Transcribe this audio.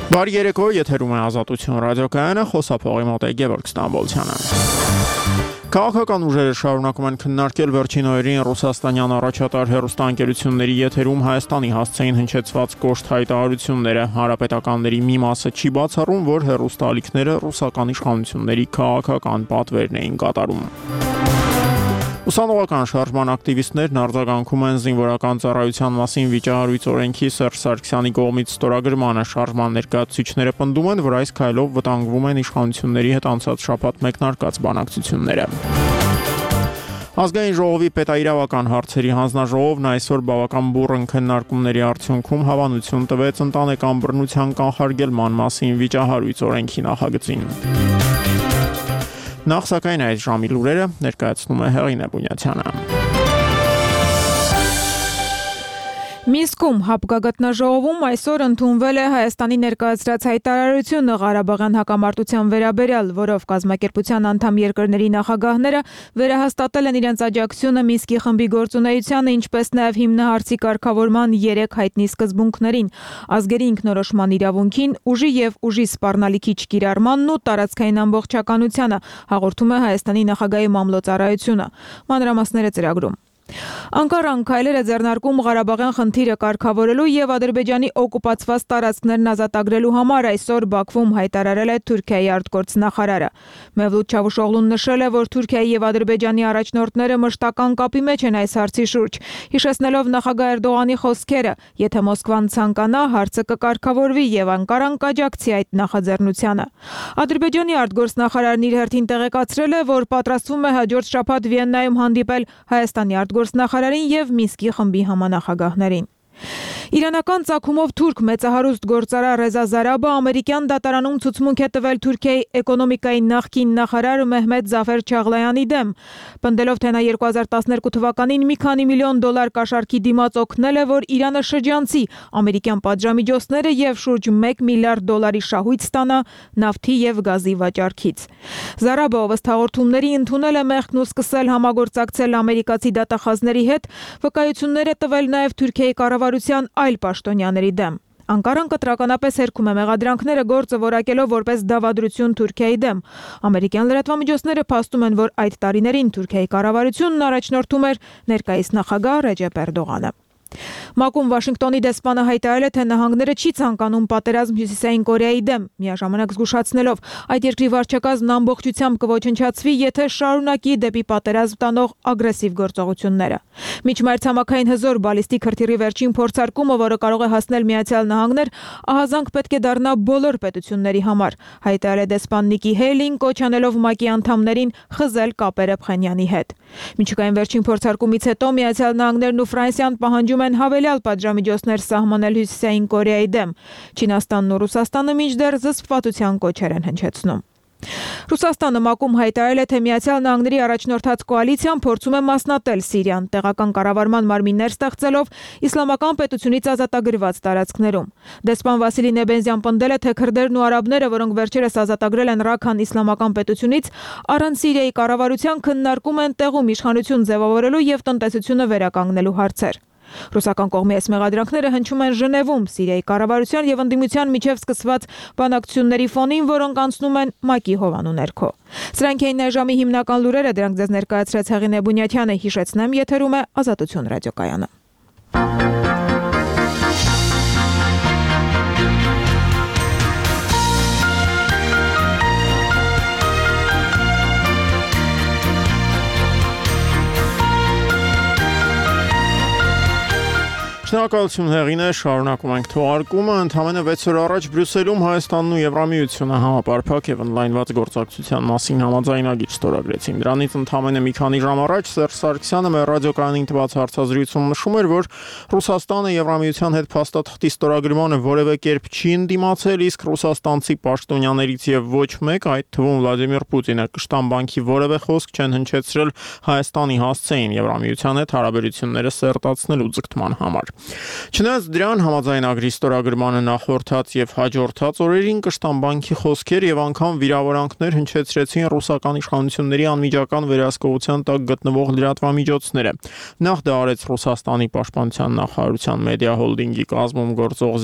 Բարի երեկո, եթերում է Ազատություն ռադիոկայանը, խոսափողի մոտ է Գևորգ Ստամբոլցյանը։ Քաղաքական ուժերը շարունակում են քննարկել վերջին օրերին ռուսաստանյան առաջատար հեռուստաընկերությունների եթերում Հայաստանի հասցեին հնչեցված կոշտ հայտարարությունները։ Հանրապետականների մի մասը չի բացառում, որ հեռուստաալիքները ռուսական իշխանությունների քաղաքական պատվերն էին կատարում։ Ուսանողական շարժման ակտիվիստներն արձագանքում են զինվորական ծառայության մասին վիճահարույց օրենքի Սերժ Սարգսյանի կողմից ստորագրմանը։ Շարժման ներկայացուցիչները պնդում են, որ այս քայլով վտանգվում են իշխանությունների հետ անցած շաբաթ մեկնարկած բանակցությունները։ Ազգային ժողովի պետաիրավական հարցերի հանձնաժողովն այսօր բավական բուռն քննարկումների արդյունքում հավանություն տվեց ընտանեկան բռնության կանխարգելման մասին վիճահարույց օրենքի նախագծին։ Նախ սակայն այս ժամի լուրերը ներկայացնում է Հեղինե Բունյացյանը։ Մինսկում հապկագտնաժողովում այսօր ընդունվել է Հայաստանի ներկայացրած հայտարարությունը Ղարաբաղյան հակամարտության վերաբերյալ, որով կազմակերպության անդամ երկրների նախագահները վերահաստատել են իրենց աջակցությունը Մինսկի խմբի գործունեությանը, ինչպես նաև հիմնահարցի կարգավորման 3 հայտնի սկզբունքներին՝ ազգերի ինքնորոշման իրավունքին, ուժի եւ ուժի սպառնալիքի չկիրառմանն ու տարածքային ամբողջականությանը, հաղորդում է Հայաստանի նախագահի մամլոյցարայությունը։ Մանրամասները ծրագրում։ Անկարան քայլեր է ձեռնարկում Ղարաբաղյան խնդիրը կարգավորելու եւ Ադրբեջանի օկուպացված տարածքներն ազատագրելու համար այսօր Բաքվում հայտարարել է Թուրքիայի արտգործնախարարը։ Մևլութ Չավուշօղլուն նշել է, որ Թուրքիայի եւ Ադրբեջանի առաջնորդները մշտական կապի մեջ են այս հարցի շուրջ, հիշեցնելով նախագահ Էրդողանի խոսքերը՝ եթե Մոսկվան ցանկանա, հարցը կկարգավորվի եւ Անկարան կաջակցի այդ նախաձեռնությանը։ Ադրբեջանի արտգործնախարարն իր հերթին տեղեկացրել է, որ պատրաստվում է հաջորդ շաբաթ Վիեննայում հանդիպել Հայաստանի արտգործնախարարին եւ Մինսկի խմբի համանախագահներին։ Իրանական ծագումով թուրք մեծահարուստ գործարար Ռեզա Զարաբը ամերիկյան դատարանում ցուցմունք է տվել Թուրքիայի էկոնոմիկայի նախկին նախարար Մեհմեդ Զաֆեր Չաղլայանի դեմ, պնդելով, թե նա 2012 թվականին մի քանի միլիոն դոլար կաշառքի դիմաց օգնել է, որ Իրանը շրջանցի ամերիկյան պատժամիջոցները եւ շուրջ 1 միլիարդ դոլարի շահույթ ստանա նավթի եւ գազի վաճառքից։ Զարաբը, ով ըստ հաղորդումների ընդունել է մեղքն ու սկսել համագործակցել ամերիկացի դատախազների հետ, վկայություններ է տվել նաեւ Թուրքիայի կառավարության այլ պաշտոնյաների դեմ։ Անկարան կտրականապես հերքում է մեղադրանքները գործը որակելով որպես դավադրություն Թուրքիայի դեմ։ Ամերիկյան լրատվամիջոցները փաստում են, որ այդ տարիներին Թուրքիայի կառավարությունն առաջնորդում էր ներկայիս նախագահ Ռեջեփ Էրդողանը։ ՄԱԿ-ում Վաշինգտոնի դեսպանը հայտարարել է, թե նահանգները չի ցանկանում պատերազմ Հյուսիսային Կորեայի դեմ, միաժամանակ զգուշացնելով, այդ երկրի վարչակազմն ամբողջությամբ կոչնչացվի, եթե շարունակի դեպի պատերազմ տանող ագրեսիվ գործողությունները։ Միջմայր ցամաքային հզոր բալիստիկ հրթիռի վերջին փորձարկումը, որը կարող է հասնել Միացյալ Նահանգներ, ահազանգ պետք է դառնա բոլոր պետությունների համար, հայտարարել է դեսպան Նիկի Հեյլին, կոչ անելով ՄԱԿ-ի անդամներին խզել կապերը Փխենյանի հետ։ Միջուկային վերջին փորձարկումից հետո Միացյալ Նահանգներն ու Ֆրանսիան պահանջում են հավելյալ պատժամիջոցներ սահմանել Հյուսիսային Կորեայի դեմ։ Չինաստանն ու Ռուսաստանը մինչդեռ զսպվածության կոչեր են հնչեցնում։ Ռուսաստանը ՄԱԿ-ում հայտարարել է, թե Միացյալ Նահանգների առաջնորդած կոալիցիան փորձում է մասնատել Սիրիան, տեղական կառավարման մարմիններ ստեղծելով իսլամական պետությունից ազատագրված տարածքներում։ Դեսպան Վասիլի Նեբենզյան պնդել է, թե քրդերն ու արաբները, որոնք վերջերս ազատագրել են Ռաքան իսլամական պետությունից, առանց Սիրիայի կառավարության քննարկում են տեղում իշխանություն ձևավորելու եւ տնտեսությունը վերականգնելու հարցեր։ Ռուսական կողմի այս մեղադրանքները հնչում են Ժնևում Սիրիայի կառավարության եւ ընդդիմության միջև սկսված բանակցությունների ֆոնին, որոնք անցնում են ՄԱԿ-ի հովանու ներքո։ Սրանք էին այժմի հիմնական լուրերը, դրանք ձեզ ներկայացրեց Հեղինե Բունյացյանը, հիշեցնեմ, եթերում է Ազատություն ռադիոկայանը։ Շնորհակալություն Հեղինե, շարունակում ենք թողարկումը։ Ընդամենը 6 օր առաջ Բրյուսելում Հայաստանն ու Եվրամիությունը համապարփակ եւ ընդլայնված գործակցության մասին համաձայնագիր ստորագրեցին։ Դրանից ընդամենը մի քանի ժամ առաջ Սերժ Սարգսյանը մեր ռադիոկայանին տված հարցազրույցում նշում էր, որ Ռուսաստանը Եվրամիության հետ փաստաթղթի ստորագրմանը որևէ կերպ չի ընդդիմացել, իսկ ռուսաստանցի պաշտոնյաներից եւ ոչ մեկ, այդ թվում Վլադիմիր Պուտինը, Կշտան բանկի որևէ խոսք չեն հնչեցրել Հայաստանի հասցեին Եվրամիության հետ հարաբերությունները սերտացնելու ձգտման համար։ Չնայած դրան համաձայնագրի ստորագրմանը նախորդած եւ հաջորդած օրերին Կշտան բանկի խոսքեր եւ անգամ վիրավորանքներ հնչեցրեցին ռուսական իշխանությունների անմիջական վերահսկողության տակ գտնվող լրատվամիջոցները։ Նախ դա արեց Ռուսաստանի պաշտպանության նախարարության մեդիա հոլդինգի կազմում գործող